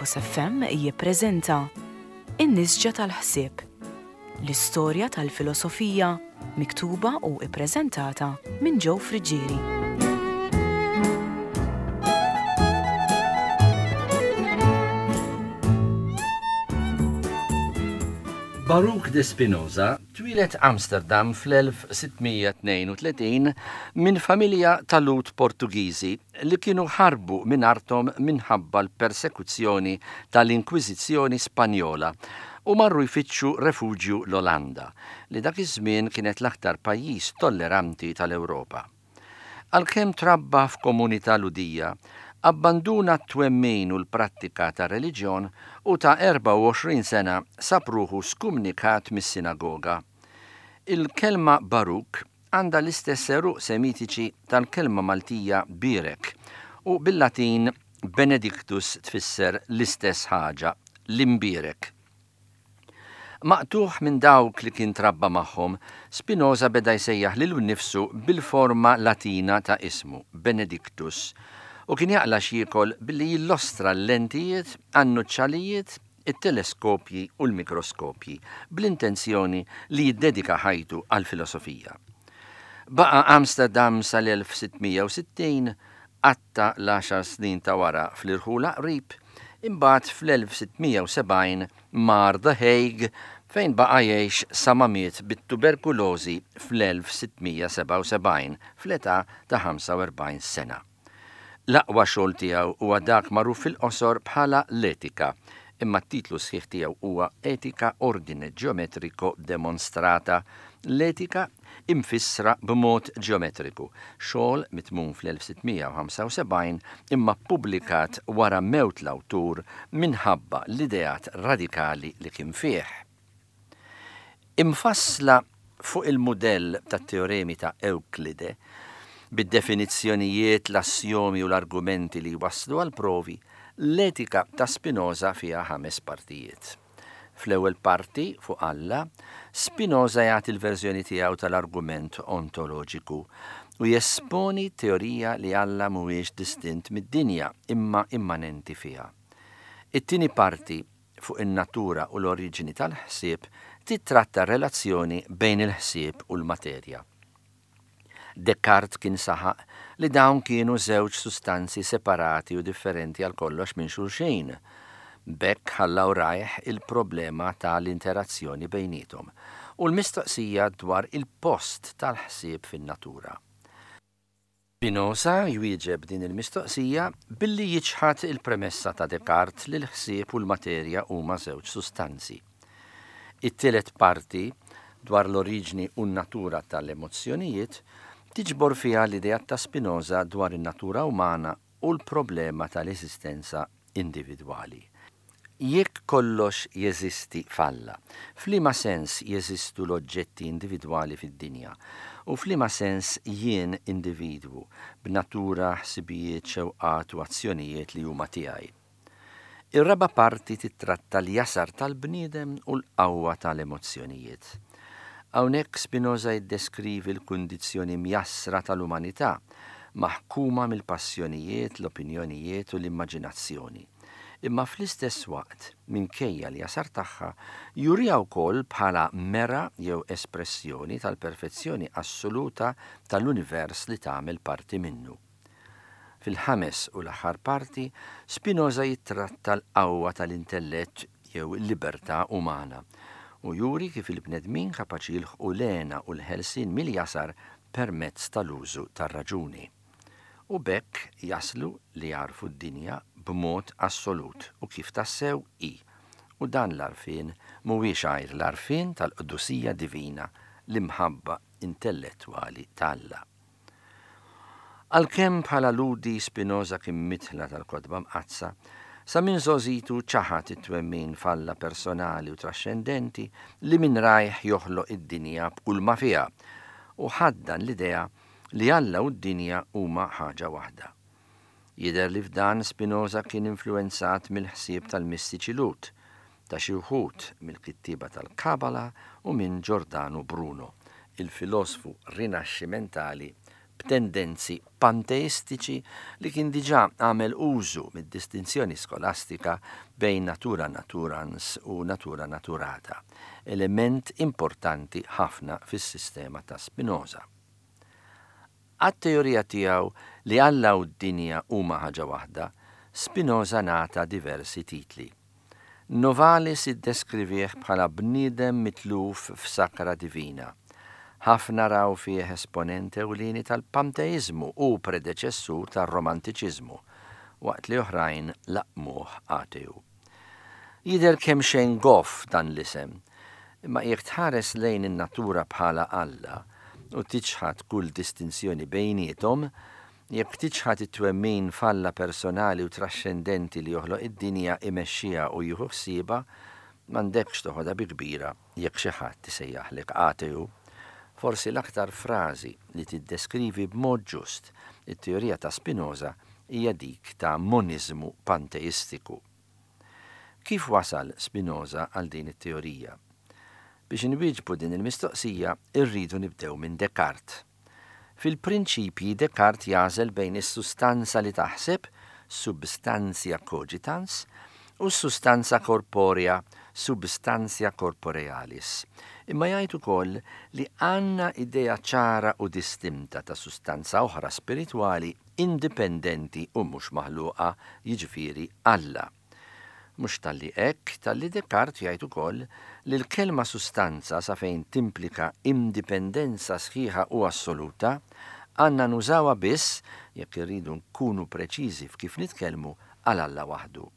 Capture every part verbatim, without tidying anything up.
Lighthouse F M jippreżenta In-Nisġa tal-Ħsieb, l-istorja tal-filosofija miktuba u ippreżentata minn Joe Friggieri. Baruch de Spinoza twieled Amsterdam fl-elf sitt mija tnejn u tletin minn familja ta' Lhud Portugiżi li kienu ħarbu minn arthom minħabba l-persekuzzjoni tal-Inkwiżizzjoni Spanjola u marru jfittxu refuġju l-Olanda, li dak iż-żmien kienet l-aktar pajjiż tolleranti tal-Ewropa. Għalkemm trabba f'komunità Lhudija, abbanduna t-twemmin u l-prattika ta' reliġjon u ta' erbgħa u għoxrin sena sab ruħu skumnikat mis-sinagoga. Il-kelma Baruk għandha l-istess għeruq semitiċi tal-kelma Maltija birek u bil-Latin Benedictus tfisser l-istess ħaġa, l-imbirek. Maqtugħ minn dawk li kien trabba magħhom, Spinoza beda jsejjaħ lilu nnifsu bil-forma Latina ta' ismu, Benedictus, u kien jaqla x'jiekol billi jillostra l-lentijiet, għan-nuċċalijiet, it-teleskopji u l-mikroskopji, bl-intenzjoni li jiddedika ħajtu għal-filosofija. Baqa Amsterdam sal-elf sitt mija u sittin, qatta' l-għaxar snin ta' wara fl-irħula qrib, imbagħad fl-elf sitt mija u sebgħin mar The Hague, fejn baqa' jgħix sa ma miet bit-tuberkulożi fl-elf sitt mija sebgħa u sebgħin fl-età ta' ħamsa u erbgħin sena. L-aqwa xogħol tiegħu huwa dak magħruf fil-qosor bħala l-Etika, imma t-titlu sħiħ tiegħu huwa Etica Ordine Geometrico Demonstrata, l-etika imfissra b'mod ġeometriku, xogħol mitmum fl-elf sitt mija ħamsa u sebgħin imma publikat wara mewt l-awtur minħabba l-ideat radikali li kien fih. Imfassla fuq il-mudell tat-teoremi ta' Ewklide, bid-definizzjonijiet, l-assiomi u l-argumenti li waslu għal provi, l-Etika ta' Spinoza fiha ħames partijiet. Fl-ewwel parti, fuq Alla, Spinoza jagħti l-verżjoni tiegħu tal-argument ontoloġiku u jesponi teorija li Alla mhuwiex distint mid-dinja, imma immanenti fiha. It-tieni parti, fuq in-natura u l-oriġini tal-ħsieb, titratta relazzjoni bejn il-ħsieb u l-materja. Descartes kien saħaq li dawn kienu żewġ sustanzi separati u differenti għal kollox minn xulxin. B'hekk ħalla warajh il-problema tal-interazzjoni bejnietom u l-mistoqsija dwar il-post tal-ħsieb fin-natura. Spinoza jwieġeb din il-mistoqsija billi jiċħad il-premessa ta' Descartes li l-ħsieb u l-materja huma żewġ sustanzi. It-tielet parti, dwar l-oriġni u n-natura tal-emozzjonijiet, tiġbor fiha l-idea ta' Spinoza dwar in-natura umana u l-problema tal-eżistenza individwali. Jekk kollox jeżisti f'Alla, f'liema sens jeżistu l-oġġetti individwali fid-dinja u f'liema sens jien individwu b'natura, ħsibijiet, xewqat u azzjonijiet li huma tiegħi? Ir-raba parti titratta l-jasar tal-bniedem u l-qawwa tal-emozzjonijiet. Hawnhekk Spinoza jiddeskrivi l-kundizzjoni mjassra tal-umanità, maħkuma mill-passjonijiet, l-opinjonijiet u l-immaġinazzjoni. Imma fl-istess waqt, minkejja l-jasar tagħha, juriha wkoll bħala mera jew espressjoni tal-perfezzjoni assoluta tal-univers li tagħmel parti minnu. Fil-ħames u l-aħħar parti, Spinoza jittratta l-qawwa tal-intellett jew il-libertà umana u juri kif il-bnedmin kapaċi jilħqu l-hena u l-ħelsien mill-jasar permezz tal-użu tar-raġuni. U b'hekk jaslu li jagħrfu d-dinja b'mod assolut u kif tassew hi. U dan l-għarfien mhuwiex għajr l-għarfien tal-qdusija divina, l-imħabba intellettwali t'Alla. Għalkemm bħala Lhudi Spinoza kien midħla tal-Kotba Mqaddsa, sa minn żgħożitu ċaħad it-twemmin f'Alla personali u trascendenti li minn rajh joħloq id-dinja b'kull ma fiha u ħaddan l-idea li Alla u d-dinja huma ħaġa waħda. Jidher li f'dan Spinoza kien influenzat mill-ħsieb tal-mistiċi Lhud, ta' xi wħud mill-kittiba tal-Kabala u minn Giordano Bruno, il-filosfu rinaxximentali b'tendenzi panteistiċi li kien diġà għamel użu mid-distinzjoni skolastika bejn natura naturans u natura naturata, element importanti ħafna fis-sistema ta' Spinoza. Għat-teorija tiegħu li Alla u d-dinja huma ħaġa waħda, Spinoza ngħata diversi titli. Novalis iddeskrivih bħala bniedem mitluf f'sakra divina. Ħafna raw fih esponent ewlieni tal-panteiżmu u predeċessur tar-romantiċiżmu, waqt li oħrajn laqmuh ateu. Jidher kemxejn goff dan l-isem, imma jekk tħares lejn in-natura bħala Alla u tiċħad kull distinzjoni bejniethom, jekk tiċħad it-twemmin f'Alla personali u traxxendenti li joħloq id-dinja, imexxiha u jieħu ħsiebha, m'għandekx toħodha bi kbira jekk xi ħadd isejjaħlek ateu. Forsi l-aktar frażi li tiddeskrivi b'mod ġust it-teorija ta' Spinoza hija dik ta' moniżmu panteistiku. Kif wasal Spinoza għal din it-teorija? Biex inwieġbu din il-mistoqsija, irridu nibdew minn Descartes. Fil-prinċipji Descartes jagħżel bejn is-sustanza li taħseb, substantia cogitans, u s-sustanza korporea, substantia corporealis. Imma jgħid ukoll li għandna idea ċara u distinta ta' sustanza oħra spiritwali indipendenti u mhux maħluqa, jiġifieri Alla. Mhux talli hekk, talli Descartes jgħid ukoll li l-kelma sustanza sa fejn timplika indipendenza sħiħa u assoluta, għandna nużawha biss jekk irridu nkunu preċiżi f'kif nitkellmu għal Alla waħdu.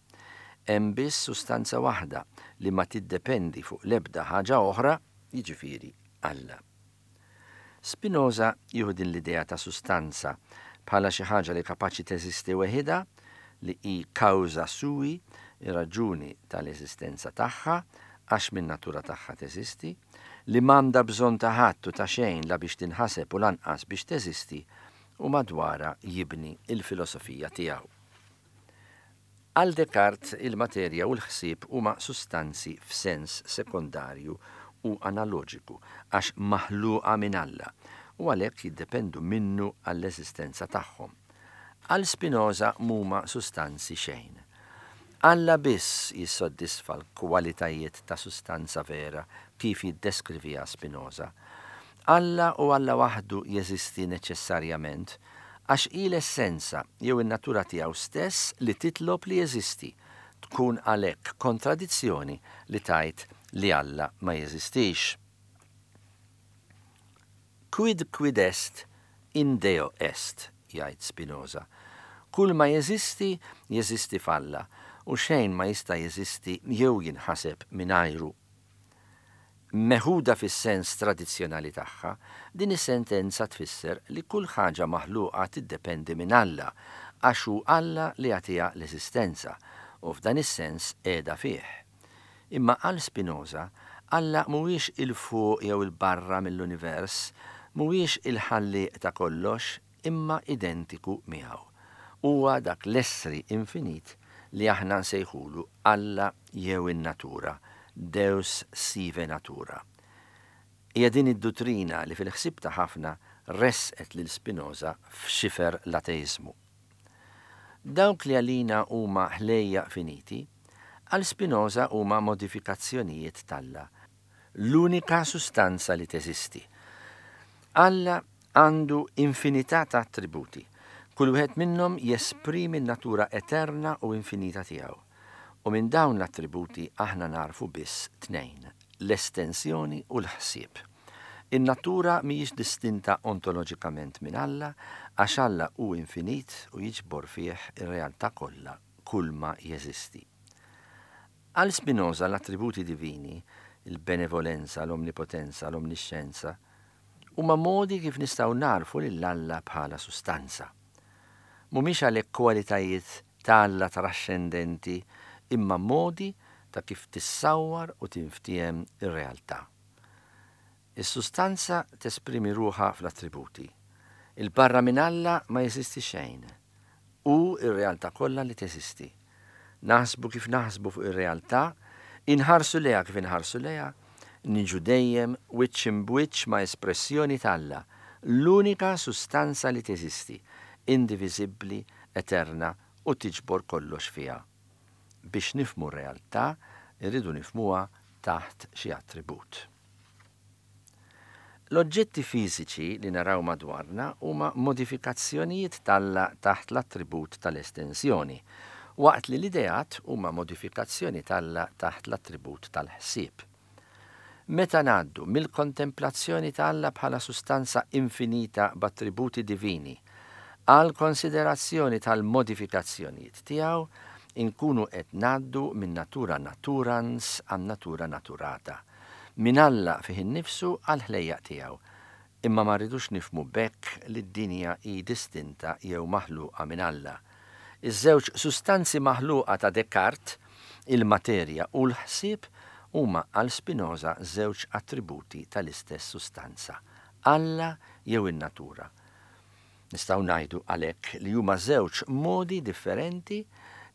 Hemm biss sustanza waħda li ma tiddependi fuq l-ebda ħaġa oħra, jiġifieri Alla. Spinoza jieħu din l-idea ta' sustanza bħala xi ħaġa li kapaċi teżisti weħidha, li hi causa sui, ir-raġuni tal-eżistenza tagħha, għax minn natura tagħha teżisti, li m'għandha bżonn ta' ħadd u ta' xejn la biex tinħaseb u lanqas biex teżisti, u madwarha jibni il-filosofija tiegħu. Għal Descartes il-materja u l-ħsieb huma sustanzi f'sens sekondarju u analoġiku għax maħluqa minn Alla u għalhekk jiddependu minnu għall-eżistenza tagħhom. Għal Spinoza mhuma sustanzi xejn. Alla biss jissodisfa l-kwalitajiet ta' sustanza vera kif jiddeskriviha Spinoza. Alla u Alla waħdu jeżisti neċessarjament għax hi l-essenza jew in-natura tiegħu stess li titlob li jeżisti, tkun għalhekk kontradizzjoni li tgħid li Alla ma jeżistix. Quid quid est in Deo est, jgħid Spinoza. Kull ma jeżisti, jeżisti f'Alla, u xejn ma jista' jeżisti jew jinħaseb mingħajru. Meħuda fis-sens tradizzjonali tagħha, din is-sentenza tfisser li kull ħaġa maħluqa tiddependi minn Alla, għax hu Alla li jagħtiha l-eżistenza, u f'dan is-sens qiegħda fih. Imma għal Spinoza, Alla mhuwiex il-fuq jew il-barra mill-univers, mhuwiex il-ħallieq ta' kollox, imma identiku miegħu. Huwa dak l-essri infinit li aħna nsejħulu Alla jew in-natura, Deus sive natura. Hija din id-duttrina li fil-ħsieb ta' ħafna resqet lil Spinoza f'xifer l-ateiżmu. Dawk li għalina huma ħlejjaq finiti, għal Spinoza huma modifikazzjonijiet t'Alla, l-unika sustanza li teżisti. Alla għandu infinità ta' attributi, kull wieħed minnhom jesprimi n-natura eterna u infinita tiegħu. U minn dawn l-attributi aħna narfu biss tnejn, l-estensjoni u l-ħsieb. In-natura mhijiex distinta ontoloġikament minn Alla, għax Alla hu infinit u jiġbor fih ir-realtà kollha, kull ma jeżisti. Għal Spinoza l-attributi divini, il-benevolenza, l-omnipotenza, l-omniscienza, huma modi kif nistgħu narfu lil Alla bħala sustanza. Mhumiex għalhekk kwalitajiet ta' Alla trascendenti, imma modi ta' kif tissawwar u tinftiehem ir-realtà. Is-sustanza tesprimi ruħha fl-attributi. Il-barra minn Alla ma jeżisti xejn. Hu ir-realtà kollha li teżisti. Naħsbu kif naħsbu fuq ir-realtà, inħarsu lejha kif inħarsu lejha, niġu dejjem wiċċ imbwiċċ ma' espressjoni t'Alla, l-unika sustanza li teżisti, indiviżibbli, eterna u tiġbor kollox fiha. Biex nifhmu r-realtà, irridu nifhmuha taħt xi attribut. L-oġġetti fiżiċi li naraw madwarna huma modifikazzjonijiet t'Alla taħt l-attribut tal-estensjoni, waqt li l-ideat huma modifikazzjoni t'Alla taħt l-attribut tal-ħsieb. Meta ngħaddu mill-kontemplazzjoni ta' Alla bħala sustanza infinita b'attributi divini għal konsiderazzjoni tal-modifikazzjonijiet tiegħu, inkunu qed ngħaddu minn natura naturans għan natura naturata, minn Alla fih innifsu għal ħlejjaq tiegħu. Imma ma rridux nifhmu b'hekk li d-dinja hi distinta jew maħluqa minn Alla. Iż-żewġ sustanzi maħluqa ta' Descartes, il-materja u l-ħsieb, huma għal Spinoza żewġ attributi tal-istess sustanza, Alla jew in-natura. Nistgħu ngħidu għalhekk li huma żewġ modi differenti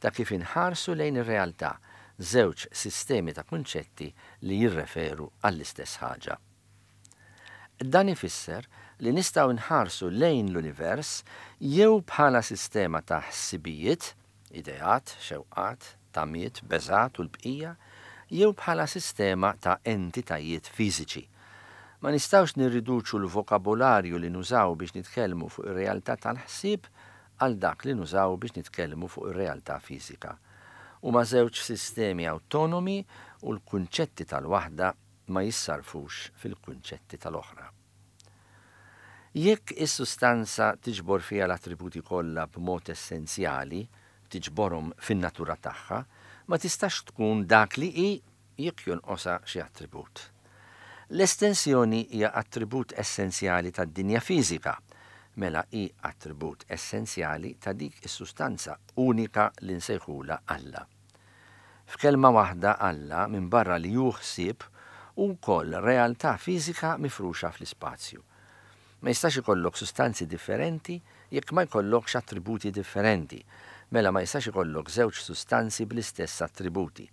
ta' kif inħarsu lejn ir-realtà, żewġ sistemi ta' kunċetti li jirreferu għall-istess ħaġa. Dan ifisser li nistgħu nħarsu lejn l-univers jew bħala sistema ta' ħsibijiet, ideat, xewqat, tamiet, beżat u l-bqija, jew bħala sistema ta' entitajiet fiżiċi. Ma nistgħux nirriduċu l-vokabolarju li nużaw biex nitkellmu fuq ir-realtà tal-ħsieb għal dak li nużaw biex nitkellmu fuq ir-realtà fiżika. Huma żewġ sistemi awtonomi u l-kunċetti tal-waħda ma jissarfux fil-kunċetti tal-oħra. Jekk is-sustanza tiġbor fiha l-attributi kollha b'mod essenzjali, tiġborhom fin-natura tagħha, ma tistax tkun dak li hi jekk jonqosha xi attribut. L-estensjoni hija attribut essenzjali tad-dinja fiżika, mela hi attribut essenzjali ta' dik is-sustanza unika li nsejħulha Alla. F'kelma waħda Alla minbarra li hu ħsieb hu wkoll realtà fiżika mifruxa fl-ispazju. Ma jistax ikollok sustanzi differenti jekk ma jkollokx attributi differenti, mela ma jistax ikollok żewġ sustanzi bl-istess attributi.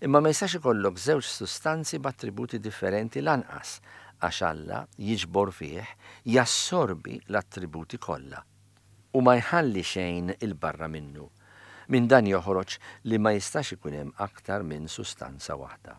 Imma ma jistax ikollok żewġ sustanzi b'attributi differenti lanqas, għax Alla jiġbor fih, jassorbi l-attributi kollha u ma jħalli xejn il-barra minnu. Minn dan joħroġ li ma jistax ikun hemm aktar minn sustanza waħda.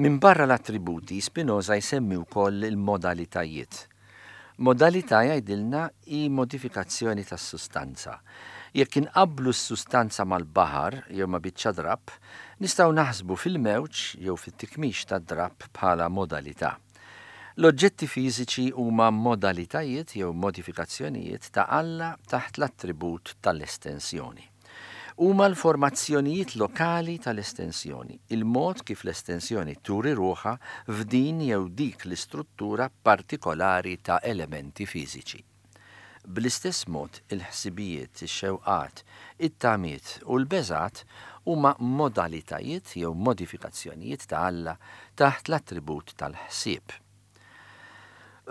Minbarra l-attributi, Spinoza jsemmi wkoll il-modalitajiet. Modalità, jgħidilna, hi modifikazzjoni tas-sustanza. Jekk inqabblu s-sustanza mal-baħar jew ma' biċċa drapp, nistgħu naħsbu fil-mewġ jew fit-tikmix tad-drapp bħala modalità. L-oġġetti fiżiċi huma modalitajiet jew modifikazzjonijiet ta' Alla taħt l-attribut tal-estensjoni. Huma l-formazzjonijiet lokali tal-estensjoni, il-mod kif l-estensjoni turi ruħha f'din jew dik l-istruttura partikolari ta' elementi fiżiċi. Bl-istess mod, il-ħsibijiet, ix-xewqat, it-tamiet u l-beżat huma modalitajiet jew modifikazzjonijiet ta' Alla taħt l-attribut tal-ħsieb.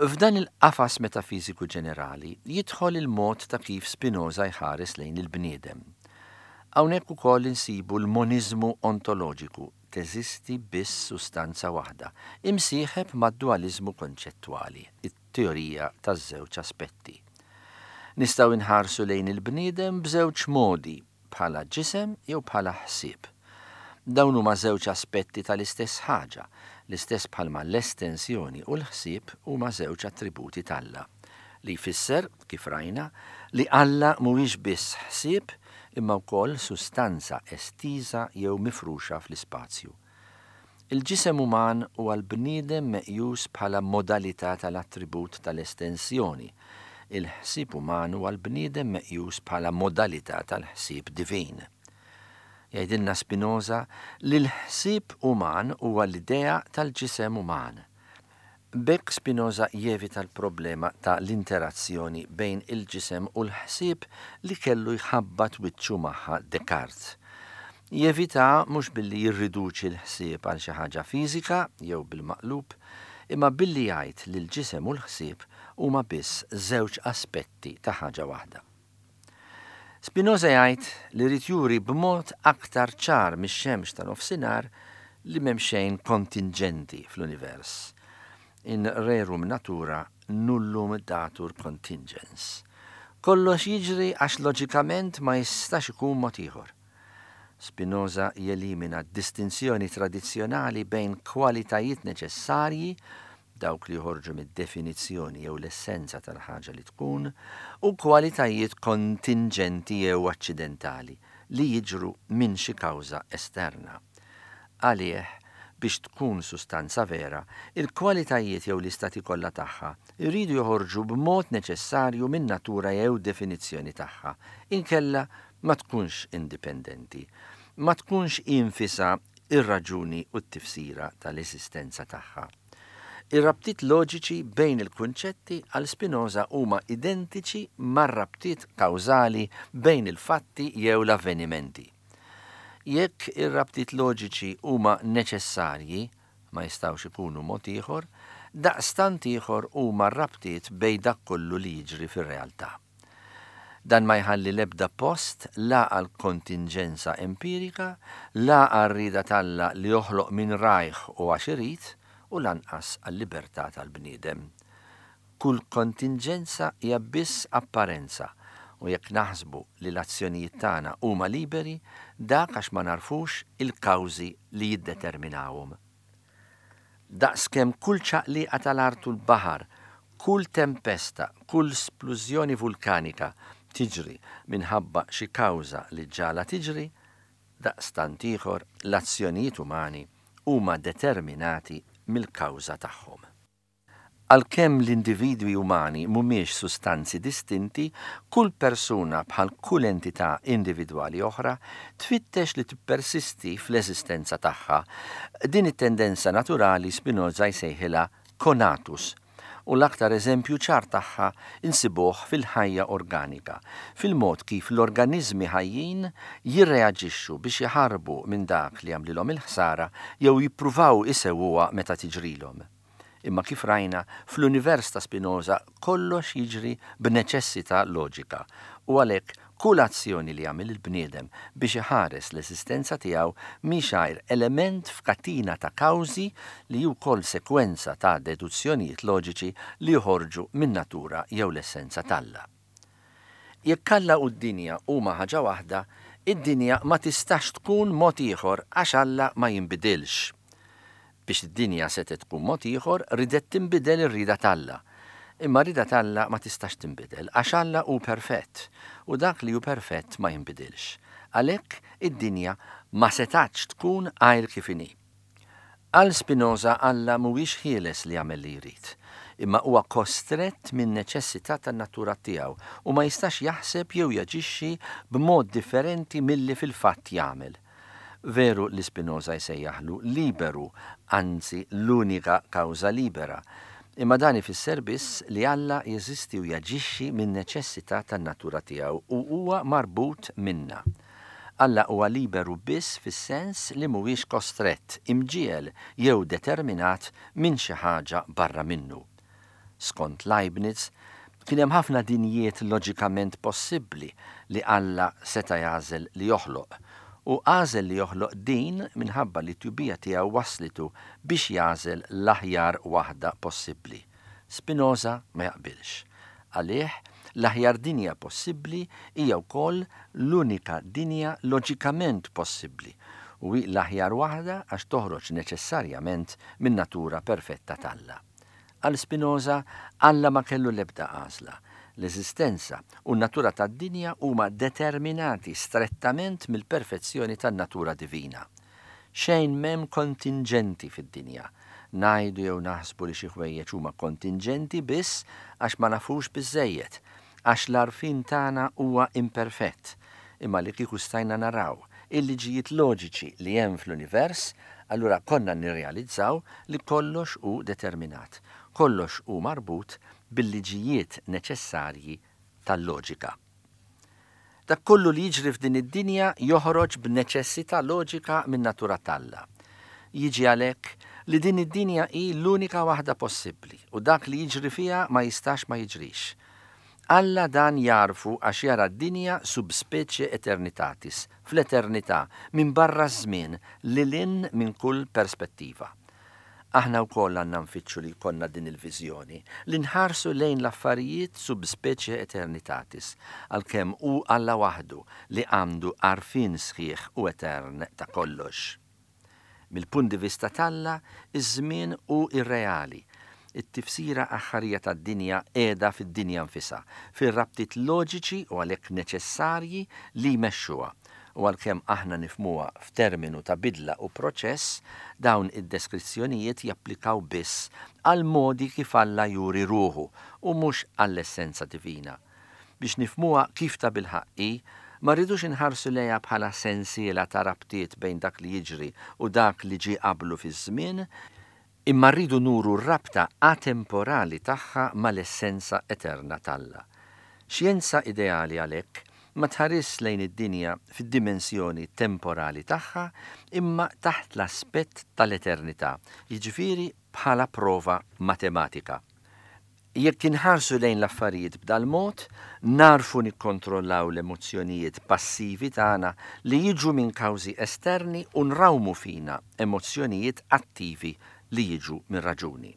F'dan il-qafas metafiżiku ġenerali jidħol il-mod ta' kif Spinoza jħares lejn il-bniedem. Hawnhekk ukoll insibu l-moniżmu ontoloġiku, teżisti biss sustanza waħda, imsieħeb mad-dualiżmu konċettwali, it-teorija taż-żewġ aspetti. Nistgħu nħarsu lejn il-bniedem b'żewġ modi, bħala ġisem jew bħala ħsieb. Dawn huma żewġ aspetti tal-istess ħaġa, l-istess bħalma l-estensjoni u l-ħsieb huma żewġ attributi t'Alla, li jfisser, kif rajna, li Alla mhuwiex biss ħsieb imma wkoll sustanza estiża jew mifruxa fl-ispazju. Il-ġisem uman huwa l-bniedem meqjus bħala modalità tal-attribut tal-estensjoni. Il-ħsieb uman huwa l-bniedem meqjus bħala modalità tal-ħsieb divin. Jgħidilna Spinoza li l-ħsieb uman huwa l-idea tal-ġisem uman. B'hekk Spinoza jevita l-problema ta' l-interazzjoni bejn il-ġisem u l-ħsieb li kellu jħabbat wiċċu magħha Descartes. Jevita mhux billi jirriduċi l-ħsieb għal xi ħaġa fiżika jew bil-maqlub, imma billi jgħid li l-ġisem u l-ħsieb huma biss żewġ aspetti ta' ħaġa waħda. Spinoza jgħid li jrid juri b'mod aktar ċar mix-xemx ta' nofsinhar li m'hemm xejn kontinġenti fl-univers. In rerum natura nullum datur contingens. Kollox jiġri għax loġikament ma jistax ikun mod ieħor. Spinoza jelimina d-distinzjoni tradizzjonali bejn kwalitajiet neċessarji, dawk li joħorġu mid-definizzjoni jew l-essenza tal-ħaġa li tkun, u kwalitajiet kontinġenti jew aċċidentali li jiġru minn xi kawża esterna. Għalih, biex tkun sustanza vera, il-kwalitajiet jew l-istati kollha tagħha jridu joħorġu b'mod neċessarju minn natura jew definizzjoni tagħha, inkella ma tkunx indipendenti, ma tkunx infisa ir-raġuni u t-tifsira tal-eżistenza tagħha. Ir-rabtiet loġiċi bejn il-kunċetti għal Spinoza huma identiċi mar-rabtiet kawżali bejn il-fatti jew l-avvenimenti. Jekk ir-rabtiet loġiċi huma neċessarji, ma jistgħux ikunu mod ieħor, daqstant ieħor huma r-rabtiet bejn dak kollu li jiġri fir-realtà. Dan ma jħalli l-ebda post la għal kontinġenza empirika, la għal rieda t'Alla li joħloq minn rajh u għax irid, u lanqas għal-libertà tal-bniedem. Kull kontinġenza hija biss apparenza, u jekk naħsbu li l-azzjonijiet tagħna huma liberi, dak għax ma narfux il-kawżi li jiddeterminawhom. Daqskemm kull ċaqliqa tal-art u l-baħar, kull tempesta, kull splużjoni vulkanika tiġri minħabba xi kawża li ġala tiġri, daqstant ieħor l-azzjonijiet umani huma determinati mill-kawża tagħhom. Għalkemm l-individwi umani mhumiex sustanzi distinti, kull persuna bħal kull entità individwali oħra tfittex li tippersisti fl-eżistenza tagħha. Din it-tendenza naturali Spinoza jsejħilha conatus, u l-aktar eżempju ċar tagħha insibuh fil-ħajja organika, fil-mod kif l-organizmi ħajjin jirreaġixxu biex jaħarbu minn dak li jagħmlilhom il-ħsara jew jippruvaw isewwuha meta tiġrilhom. Imma kif rajna, fl-univers ta' Spinoza kollox jiġri b'neċessità loġika, u għalhekk kull azzjoni li jagħmel il-bniedem biex iħares l-eżistenza tiegħu mhix għajr element f'katina ta' kawżi li hu wkoll sekwenza ta' deduzzjonijiet loġiċi li joħorġu min-natura jew l-essenza t'Alla. Jekk Alla u d-dinja huma ħaġa waħda, id-dinja ma tistax tkun mod ieħor għax Alla ma jinbidilx. Biex id-dinja setgħet tkun mod ieħor, ridet tinbidel ir-rieda t'Alla. Imma r-rieda t'Alla ma tistax tinbidel għax Alla hu perfett u dak li hu perfett ma jinbidilx. Għalhekk id-dinja ma setgħetx tkun għajr kif inhi. Għal Spinoza Alla mhuwiex ħieles li jagħmel li jrid, imma huwa kostrett minn neċessità tan-natura tiegħu u ma jistax jaħseb jew jaġixxi b'mod differenti milli fil-fatt jagħmel. Veru li Spinoza jsejjaħlu liberu, anzi l-unika kawża libera, imma dan ifisser biss li Alla jeżisti u jaġixxi minn neċessità tan-natura tiegħu u huwa marbut minna. Alla huwa liberu biss fis-sens li mhuwiex kostrett, imġiegħel jew determinat minn xi ħaġa barra minnu. Skont Leibniz, kien hemm ħafna dinjiet loġikament possibbli li Alla seta' jagħżel li joħloq, u għażel li joħloq din minħabba li t-tjubija tiegħu waslitu biex jagħżel l-aħjar waħda possibbli. Spinoza ma jaqbilx. Għalih, l-aħjar dinja possibbli hija wkoll l-unika dinja loġikament possibbli u hi l-aħjar waħda għax toħroġ neċessarjament min-natura perfetta t'Alla. Għal Spinoza, Alla ma kellu l-ebda għażla. L-eżistenza u n-natura tad-dinja huma determinati strettament mill-perfezzjoni tan-natura divina. Xejn m'hemm kontinġenti fid-dinja. Ngħidu jew naħsbu li xi ħwejjeġ huma kontinġenti biss għax ma nafux biżżejjed, għax l-għarfien tagħna huwa imperfett. Imma li kieku stajna naraw il-liġijiet loġiċi li hemm fl-univers, allura konna nirrealizzaw li kollox hu determinat, kollox hu marbut bil-liġijiet neċessarji tal-loġika. Dak kollu li jiġri f'din id-dinja joħroġ b'neċessità loġika minn natura t'Alla. Jiġi għalhekk li din id-dinja hi l-unika waħda possibbli u dak li jiġri fiha ma jistax ma jiġrix. Alla dan jarfu għax jara d-dinja sub specie aeternitatis, fl-eternità, minn barra ż-żmien, lil hinn minn kull perspettiva. Aħna wkoll għandna nfittxu li jkollna din il-viżjoni, li nħarsu lejn l-affarijiet sub specie aeternitatis, għalkemm hu Alla waħdu li għandu għarfien sħiħ u etern ta' kollox. Mill-punt di vista t'Alla, iż-żmien hu irreali. It-tifsira aħħarija tad-dinja qiegħda fid-dinja nfisha, fir-rabtiet loġiċi u għalhekk neċessarji li jmexxuha. U għalkemm aħna nifhmuha f'terminu ta' bidla u proċess, dawn id-deskrizzjonijiet japplikaw biss għal modi kif Alla juri ruħu u mhux għall-essenza divina. Biex nifhmuha kif ta' bilħaqq hi, ma rridux inħarsu lejha bħala sensiela ta' rabtiet bejn dak li jiġri u dak li ġie qablu fiż-żmien, imma rridu nuru r-rabta atemporali tagħha mal-essenza eterna t'Alla. Xjenza ideali għalhekk ma tħares lejn id-dinja fid-dimensjoni temporali tagħha imma taħt l-aspett tal-eternità, jiġifieri bħala prova matematika. Jekk inħarsu lejn l-affarijiet b'dal-mod, narfu nikkontrollaw l-emozzjonijiet passivi tagħna li jiġu minn kawżi esterni u nrawmu fina emozzjonijiet attivi li jiġu minn raġuni.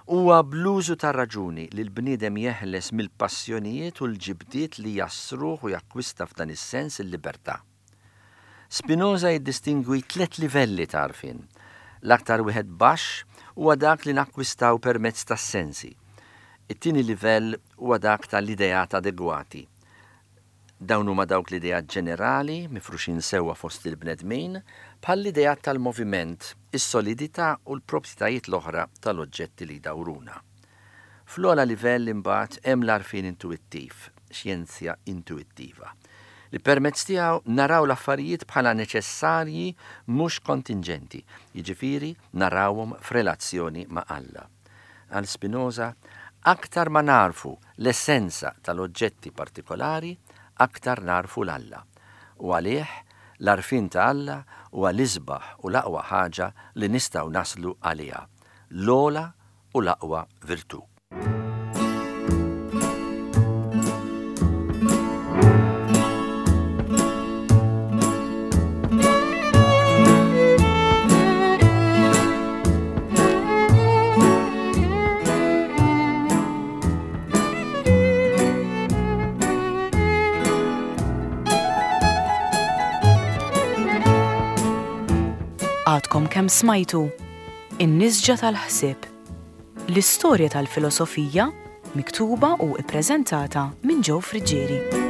Huwa bl-użu tar-raġuni li l-bniedem jeħles mill-passjonijiet u l-ġibdiet li jassruh u jakkwista f'dan is-sens il-libertà. Spinoza jiddistingwi tliet livelli ta' għarfien. L-aktar wieħed baxx huwa dak li nakkwistaw permezz tas-sensi. It-tieni livell huwa dak tal-ideat adegwati. Dawn huma dawk l-ideat ġenerali mifruxin sewwa fost il-bnedmin bħal l-ideat tal-moviment, is-solidità u l-proprjetajiet l-oħra tal-oġġetti li jdawruna. Fl-ogħla livell imbagħad hemm l-għarfien intuwittiv, xjenzja intuwittiva, li permezz tiegħu naraw l-affarijiet bħala neċessarji mhux kontinġenti, jiġifieri narawhom f'relazzjoni ma' Alla. Għal Spinoza, aktar ma narfu l-essenza tal-oġġetti partikolari, aktar narfu l-Alla. U għalih, l-għarfien ta' Alla huwa l-isbaħ u l-aqwa ħaġa li nistgħu naslu għaliha, l-ogħla u l-aqwa virtù. Għadkom kemm smajtu In-Nisġa tal-Ħsieb. L-istorja tal-filosofija miktuba u ippreżentata minn Joe Friggieri.